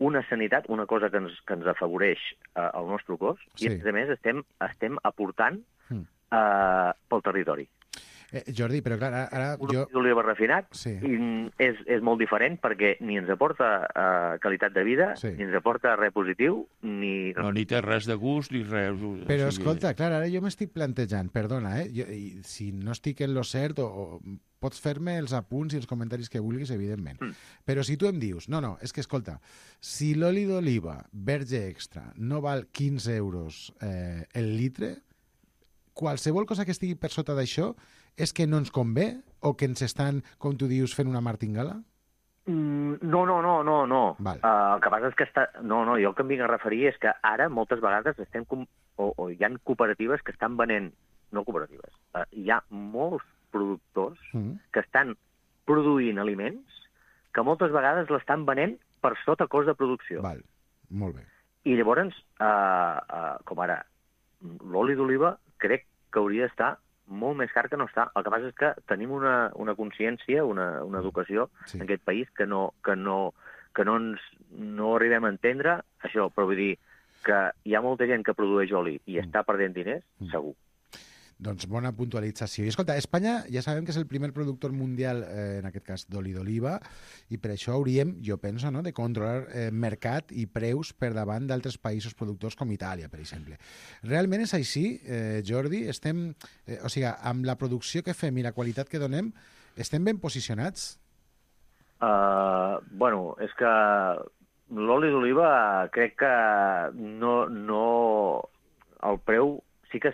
una sanitat, una cosa que ens, que ens afavoreix uh, el nostre cos, sí. i a més estem, estem aportant mm. uh, pel territori. Eh, Jordi, però clar, ara... Un jo... oli d'oliva refinat sí. és, és molt diferent perquè ni ens aporta uh, qualitat de vida, sí. ni ens aporta res positiu, ni... No, ni té res de gust, ni res... Però, o sigui... escolta, clar, ara jo m'estic plantejant, perdona, eh? Jo, i, si no estic en lo cert, o, o pots fer-me els apunts i els comentaris que vulguis, evidentment. Mm. Però si tu em dius, no, no, és que, escolta, si l'oli d'oliva verge extra no val quinze euros eh, el litre, qualsevol cosa que estigui per sota d'això és que no ens convé o que ens estan, com tu dius, fent una martingala? Mm, no, no, no, no. no. Val. Uh, el que passa és que està... No, no, jo el que em vinc a referir és que ara moltes vegades estem com... o, o hi ha cooperatives que estan venent... No cooperatives. Uh, hi ha molts productors mm. que estan produint aliments que moltes vegades l'estan venent per sota cost de producció. Val, molt bé. I llavors, uh, uh, com ara, l'oli d'oliva crec que hauria d'estar molt més car que no està. El que passa és que tenim una, una consciència, una, una educació sí. en aquest país que no, que no, que no ens no arribem a entendre això, però vull dir que hi ha molta gent que produeix oli i mm. està perdent diners, mm. segur. Doncs bona puntualització. I escolta, Espanya ja sabem que és el primer productor mundial, eh, en aquest cas d'oli d'oliva, i per això hauríem, jo penso, no, de controlar eh, mercat i preus per davant d'altres països productors com Itàlia, per exemple. Realment és així, eh, Jordi? Estem, eh, o sigui, amb la producció que fem i la qualitat que donem, estem ben posicionats? Uh, bueno, és que l'oli d'oliva crec que no, no el preu... Sí que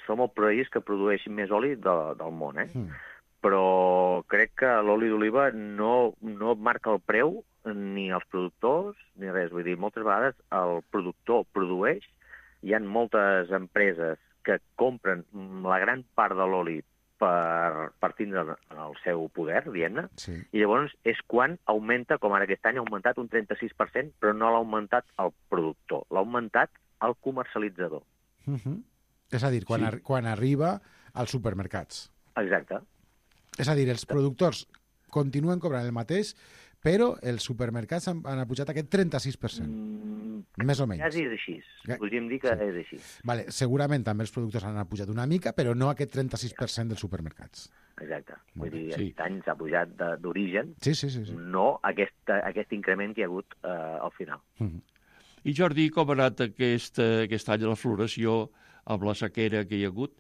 som el país que produeix més oli de, del món, eh? Mm. Però crec que l'oli d'oliva no, no marca el preu ni els productors ni res. Vull dir, moltes vegades el productor produeix, hi ha moltes empreses que compren la gran part de l'oli per, per tindre el seu poder, diguem-ne, sí. I llavors és quan augmenta, com ara aquest any ha augmentat un trenta-sis per cent, però no l'ha augmentat el productor, l'ha augmentat el comercialitzador. Mm-hmm. És a dir, quan, sí. ar quan arriba als supermercats. Exacte. És a dir, els productors continuen cobrant el mateix, però els supermercats han, han pujat aquest trenta-sis per cent. Mm, més o menys. Quasi és així. Podríem dir que sí. és així. Vale, segurament també els productors han pujat una mica, però no aquest trenta-sis per cent dels supermercats. Exacte. Vull dir, sí. Aquest any s'ha pujat d'origen, sí, sí, sí, sí. no aquest, aquest increment que hi ha hagut eh, al final. Mm-hmm. I Jordi, com ha anat aquest, aquest any la floració amb la sequera que hi ha hagut?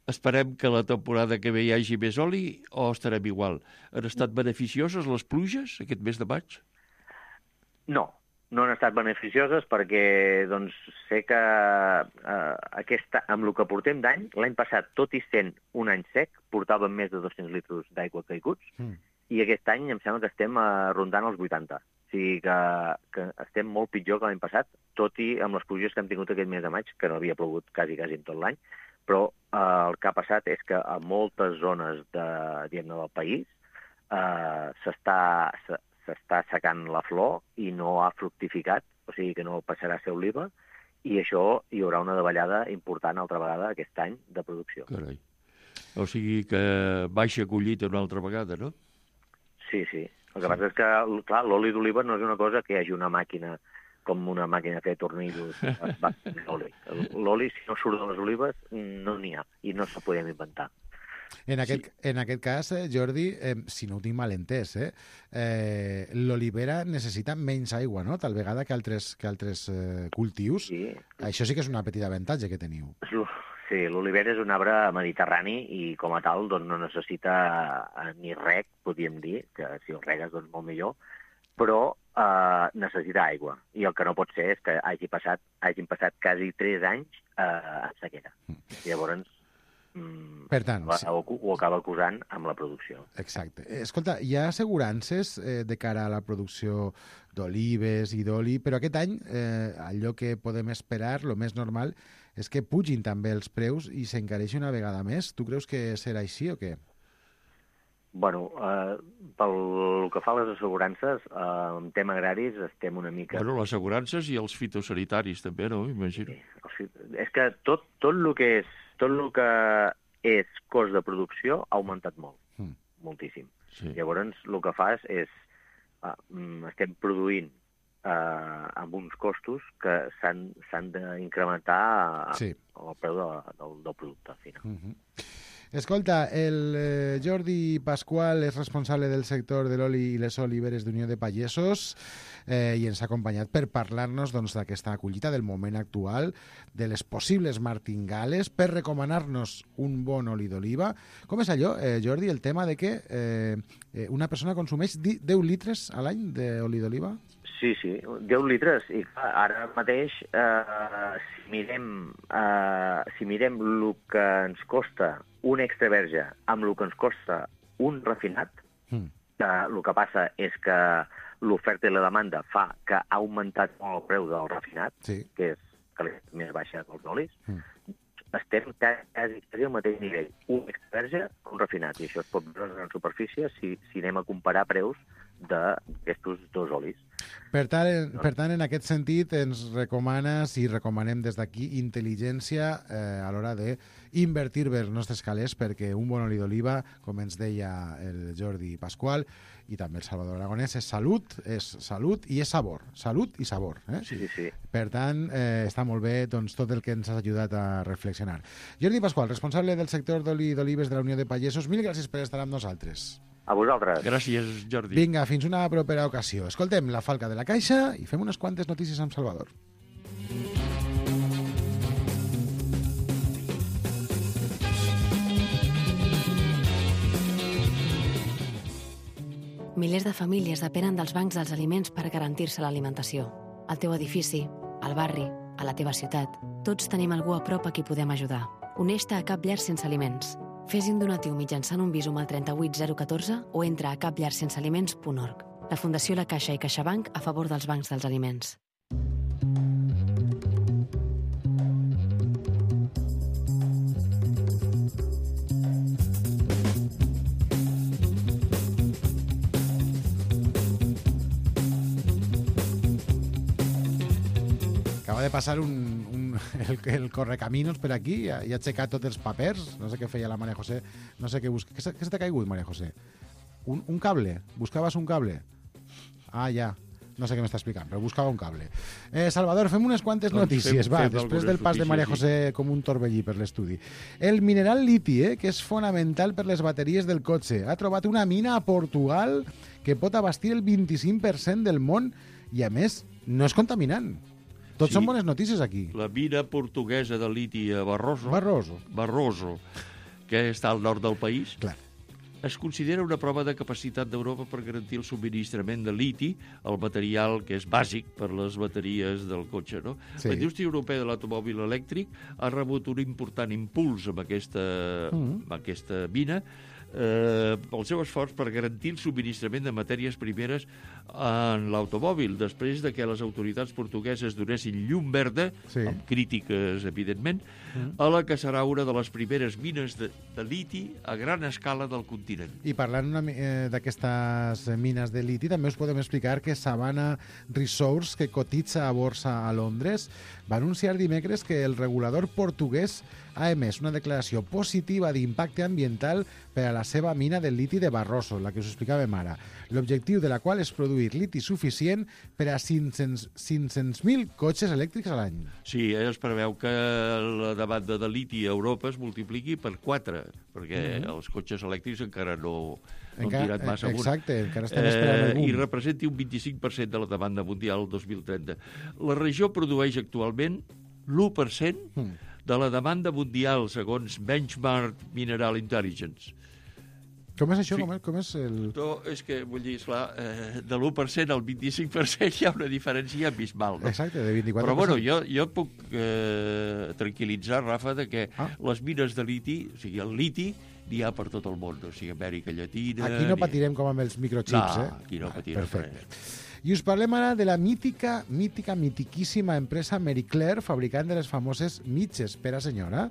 Esperem que la temporada que ve hi hagi més oli o estarem igual? Han estat beneficioses les pluges aquest mes de maig? No, no han estat beneficioses perquè doncs, sé que eh, aquesta, amb el que portem d'any, l'any passat, tot i sent un any sec, portàvem més de dos-cents litres d'aigua caiguts, mm. i aquest any em sembla que estem eh, rondant els vuitanta. sigui que, que estem molt pitjor que l'any passat, tot i amb les pluges que hem tingut aquest mes de maig, que no havia plogut quasi, quasi en tot l'any, però eh, el que ha passat és que a moltes zones de, diguem-ne, del país eh, s'està s'està secant la flor i no ha fructificat, o sigui que no passarà a ser oliva, i això hi haurà una davallada important altra vegada aquest any de producció. Carai. O sigui que baixa collita una altra vegada, no? Sí, sí. El que sí. passa és que, clar, l'oli d'oliva no és una cosa que hi hagi una màquina com una màquina de fer tornillos. L'oli, si no surt de les olives, no n'hi ha, i no se podem inventar. En aquest, sí. en aquest cas, eh, Jordi, eh, si no ho tinc mal entès, eh, eh, l'olivera necessita menys aigua, no?, tal vegada que altres, que altres eh, cultius. Sí. Això sí que és una petita avantatge que teniu. Sí, l'olivera és un arbre mediterrani i com a tal doncs, no necessita ni reg, podríem dir, que si el regues doncs molt millor, però eh, necessita aigua. I el que no pot ser és que hagi passat, hagin passat quasi tres anys eh, en sequera. Mm. Llavors, per tant, sí. ho, ho acaba acusant amb la producció. Exacte. Escolta, hi ha assegurances eh, de cara a la producció d'olives i d'oli, però aquest any eh, allò que podem esperar, el més normal, és que pugin també els preus i s'encareixi una vegada més. Tu creus que serà així o què? Bueno, eh, pel que fa a les assegurances, eh, en tema agraris estem una mica... Bueno, les assegurances i els fitosanitaris també, no? Imagino. Sí. És que tot, tot el que és tot el que és cost de producció ha augmentat molt, mm. moltíssim. Sí. Llavors, el que fas és, uh, estem produint uh, amb uns costos que s'han d'incrementar sí. el preu de, del, del producte final. Mm-hmm. Escolta, el eh, Jordi Pasqual és responsable del sector de l'oli i les oliveres d'Unió de Pagesos eh, i ens ha acompanyat per parlar-nos doncs, d'aquesta collita, del moment actual, de les possibles martingales, per recomanar-nos un bon oli d'oliva. Com és allò, eh, Jordi, el tema de que eh, una persona consumeix deu litres a l'any d'oli d'oliva? Sí, sí, deu litres. I clar, ara mateix, eh, si mirem, eh, si mirem el que ens costa un extra verge amb el que ens costa un refinat, mm. que el que passa és que l'oferta i la demanda fa que ha augmentat molt el preu del refinat, sí. que és que és més baixa que els olis, mm. estem quasi, quasi al mateix nivell. Un extra verge que un refinat, i això es pot veure en superfície si, si anem a comparar preus d'aquests dos olis. Per tant, en, per tant, en aquest sentit, ens recomanes i recomanem des d'aquí intel·ligència eh, a l'hora d'invertir bé els nostres calés perquè un bon oli d'oliva, com ens deia el Jordi Pasqual i també el Salvador Aragonès, és salut, és salut i és sabor. Salut i sabor. Eh? Sí, sí, sí. Per tant, eh, està molt bé doncs, tot el que ens has ajudat a reflexionar. Jordi Pasqual, responsable del sector d'oli d'olives de la Unió de Pagesos, mil gràcies per estar amb nosaltres. A vosaltres. Gràcies, Jordi. Vinga, fins una propera ocasió. Escoltem la Falca de la Caixa i fem unes quantes notícies amb Salvador. Milers de famílies depenen dels bancs dels aliments per garantir-se l'alimentació. Al teu edifici, al barri, a la teva ciutat, tots tenim algú a prop a qui podem ajudar. Uneix-te a Cap Llar Sense Aliments. Fes un donatiu mitjançant un Bizum al trenta-vuit zero catorze o entra a cap llar sense aliments punt org. La Fundació La Caixa i CaixaBank a favor dels bancs dels aliments. Acaba de passar un, un, el, el correcaminos per aquí i ha, i ha aixecat tots els papers. No sé què feia la Maria José. No sé què busca. Què, què se t'ha caigut, Maria José? Un, un cable? Buscaves un cable? Ah, ja. No sé què m'està explicant, però buscava un cable. Eh, Salvador, fem unes quantes doncs notícies, fem, va, fem després del pas de Maria José sí. com un torbellí per l'estudi. El mineral liti, eh, que és fonamental per les bateries del cotxe, ha trobat una mina a Portugal que pot abastir el vint-i-cinc per cent del món i, a més, no és contaminant. Tots sí, són bones notícies aquí. La mina portuguesa de liti a Barroso, Barroso. Barroso, que està al nord del país, clar, es considera una prova de capacitat d'Europa per garantir el subministrament de liti, el material que és bàsic per les bateries del cotxe. No? Sí. La indústria europea de l'automòbil elèctric ha rebut un important impuls amb aquesta, mm. amb aquesta mina, eh, pel seu esforç per garantir el subministrament de matèries primeres en l'automòbil, després de que les autoritats portugueses donessin llum verda, sí. amb crítiques, evidentment, mm. a la que serà una de les primeres mines de, de liti a gran escala del continent. I parlant eh, d'aquestes mines de liti, també us podem explicar que Savannah Resource, que cotitza a borsa a Londres, va anunciar dimecres que el regulador portuguès ha emès una declaració positiva d'impacte ambiental per a la seva mina del liti de Barroso, la que us explicàvem ara. L'objectiu de la qual és produir liti suficient per a cinc-cents mil cotxes elèctrics a l'any. Sí, eh, es preveu que la demanda de liti a Europa es multipliqui per quatre, perquè mm-hmm. els cotxes elèctrics encara no, no han tirat massa amunt. Exacte, encara estem esperant el boom. I representi un vint-i-cinc per cent de la demanda mundial el dos mil trenta. La regió produeix actualment l'u per cent mm. de la demanda mundial, segons Benchmark Mineral Intelligence. Com és això? Sí. Com, és, com és el... No, és que, vull dir, esclar, eh, de l'u per cent al vint-i-cinc per cent hi ha una diferència abismal, no? Exacte, de vint-i-quatre per cent. Però, bueno, jo, jo puc eh, tranquil·litzar, Rafa, de que ah. les mines de liti, o sigui, el liti, n'hi ha per tot el món, o sigui, Amèrica Llatina... Aquí no patirem com amb els microchips, no, eh? aquí no patirem res. I us parlem ara de la mítica, mítica, mitiquíssima empresa Marie Claire, fabricant de les famoses mitges per a senyora.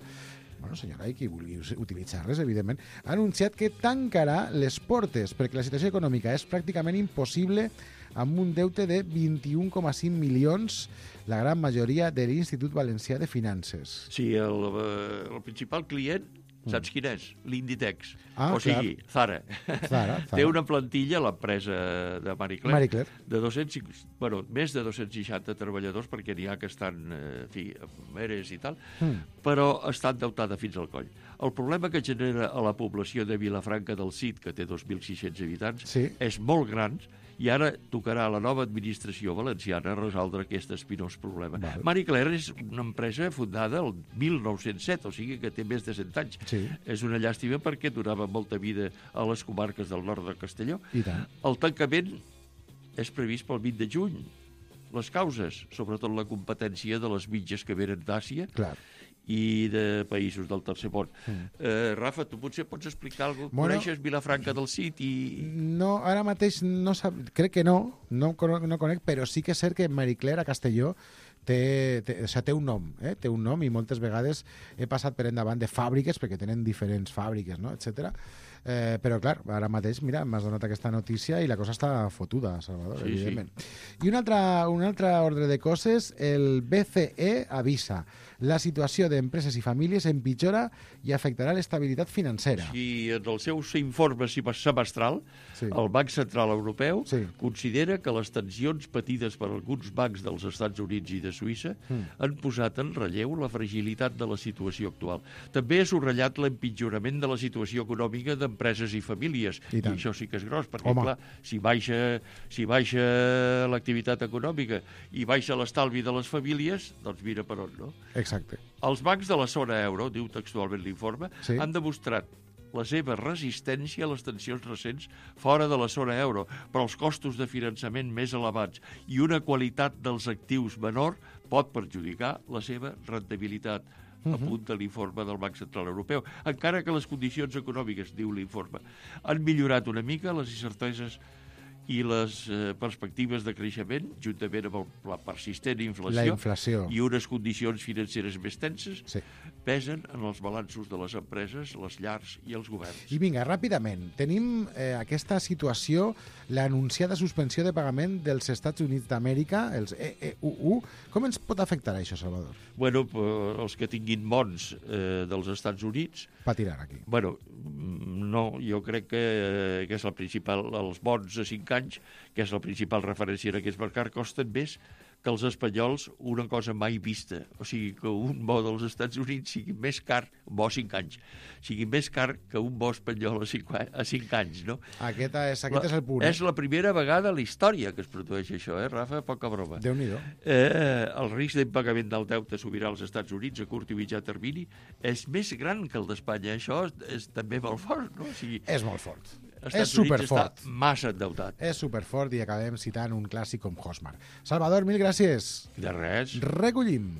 Bueno, senyora, i qui vulgui utilitzar-les, evidentment, ha anunciat que tancarà les portes perquè la situació econòmica és pràcticament impossible amb un deute de vint-i-un coma cinc milions, la gran majoria de l'Institut Valencià de Finances. Sí, el, el principal client, saps quin és? L'Inditex. Ah, o sigui, Zara. Zara, Zara. Té una plantilla, l'empresa de Marie Claire, Marie Claire. de dos-cents, bueno, més de dos-cents seixanta treballadors, perquè n'hi ha que estan en fi, amb eres i tal, mm. però està endeutada fins al coll. El problema que genera a la població de Vilafranca del Cid, que té dos mil sis-cents habitants, sí. és molt gran, i ara tocarà a la nova administració valenciana resoldre aquest espinós problema. Val. Marie Claire és una empresa fundada el mil nou-cents set, o sigui que té més de cent anys. Sí. És una llàstima perquè donava molta vida a les comarques del nord de Castelló. I tant. El tancament és previst pel vint de juny. Les causes, sobretot la competència de les mitges que venen d'Àsia, clar, i de països del tercer món. Mm. Eh, Rafa, tu potser pots explicar alguna cosa? Bueno, coneixes Vilafranca del Cid? I... No, ara mateix no sab... crec que no, no, no conec, però sí que és cert que Marie Claire a Castelló té, té, o sigui, té un nom, eh? té un nom i moltes vegades he passat per endavant de fàbriques, perquè tenen diferents fàbriques, no? etcètera. Eh, però clar, ara mateix, mira, m'has donat aquesta notícia i la cosa està fotuda, Salvador, sí, evidentment. Sí. I un altre, un altre ordre de coses, el B C E avisa: la situació d'empreses i famílies empitjora i afectarà l'estabilitat financera. Sí, en el seu informe semestral, sí. el Banc Central Europeu sí. considera que les tensions patides per alguns bancs dels Estats Units i de Suïssa mm. han posat en relleu la fragilitat de la situació actual. També ha subratllat l'empitjorament de la situació econòmica d'empreses i famílies. I, I això sí que és gros, perquè, Home. clar, si baixa, si baixa l'activitat econòmica i baixa l'estalvi de les famílies, doncs mira per on, no? Exacte. Els bancs de la zona euro, diu textualment l'informe, sí. han demostrat la seva resistència a les tensions recents fora de la zona euro, però els costos de finançament més elevats i una qualitat dels actius menor pot perjudicar la seva rendibilitat. Uh-huh. Apunta l'informe del Banc Central Europeu, encara que les condicions econòmiques, diu l'informe, han millorat una mica les incerteses i les eh, perspectives de creixement, juntament amb el, la persistent inflació, la inflació i unes condicions financeres més tenses, sí. pesen en els balanços de les empreses, les llars i els governs. I vinga, ràpidament, tenim eh, aquesta situació, l'anunciada suspensió de pagament dels Estats Units d'Amèrica, els E E U U. Com ens pot afectar això, Salvador? Bueno, els que tinguin bons eh, dels Estats Units... patiran aquí. Bueno, no, jo crec que, que és el principal, els bons a cinc anys, que és la principal referència en aquest mercat, costen més que els espanyols una cosa mai vista. O sigui, que un bo dels Estats Units sigui més car, un bo a cinc anys, sigui més car que un bo espanyol a cinc, a cinc anys, no? Aquest és, aquest la, és el punt. És la primera vegada a la història que es produeix això, eh, Rafa? Poca broma. Déu-n'hi-do. Eh, el risc d'impagament del deute sobirà als Estats Units a curt i mitjà termini és més gran que el d'Espanya. Això és, és també molt fort, no? O sigui, és molt fort. Estats és superfort. Està massa endeutat. És superfort i acabem citant un clàssic com Hosmar. Salvador, mil gràcies. De res. Recollim.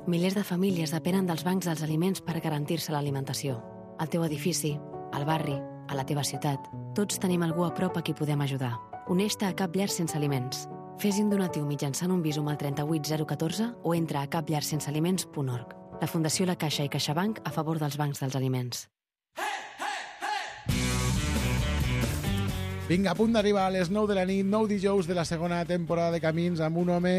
Milers de famílies depenen dels bancs dels aliments per garantir-se l'alimentació. Al teu edifici, al barri, a la teva ciutat, tots tenim algú a prop a qui podem ajudar. Uneix-te a Cap Llar Sense Aliments. Fes un donatiu mitjançant un Bizum al trenta-vuit zero catorze o entra a cap llar sense aliments punt org. La Fundació La Caixa i CaixaBank a favor dels bancs dels aliments. Vinga, a punt d'arribar a les nou de la nit, nou dijous de la segona temporada de Camins, amb un home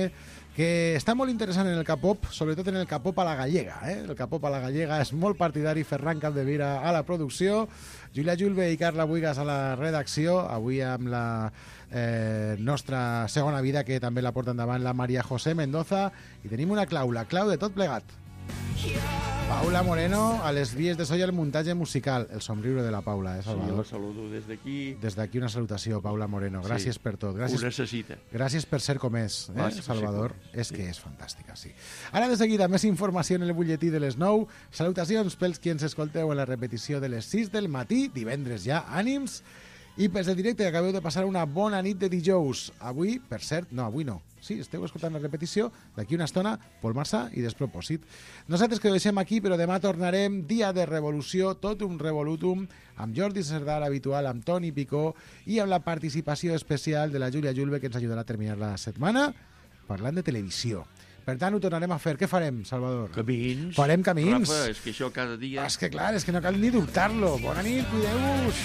que està molt interessant en el K-pop, sobretot en el K-pop a la gallega. Eh? El K-pop a la gallega és molt partidari, Ferran Capdevila a la producció, Júlia Julve i Carla Buigas a la redacció, avui amb la eh, nostra segona vida, que també la porta endavant la Maria José Mendoza, i tenim una clau, la clau de tot plegat. Paula Moreno, a les vies de so i el muntatge musical. El somriure de la Paula, eh, Salvador? Sí, la saludo des d'aquí. Des d'aquí una salutació, Paula Moreno. Gràcies sí, per tot. Gràcies, ho necessita. Gràcies per ser com és, eh, Va, Salvador. sí, és que és fantàstica, sí. Ara de seguida, més informació en el butlletí de les nou. Salutacions pels qui ens escolteu en la repetició de les sis del matí, divendres ja, ànims. I pels de directe, que acabeu de passar una bona nit de dijous. Avui, per cert, no, avui no. Sí, esteu escoltant la repetició, d'aquí una estona, Pol Marsà i Despropòsit. Nosaltres que ho deixem aquí, però demà tornarem, dia de revolució, tot un revolutum, amb Jordi Cerdà, l'habitual, amb Toni Picó, i amb la participació especial de la Júlia Julve, que ens ajudarà a terminar la setmana, parlant de televisió. Per tant, ho tornarem a fer. Què farem, Salvador? Camins. Farem camins. Rafa, és que això cada dia... És que clar, és que no cal ni dubtar-lo. Bona nit, cuideu-vos.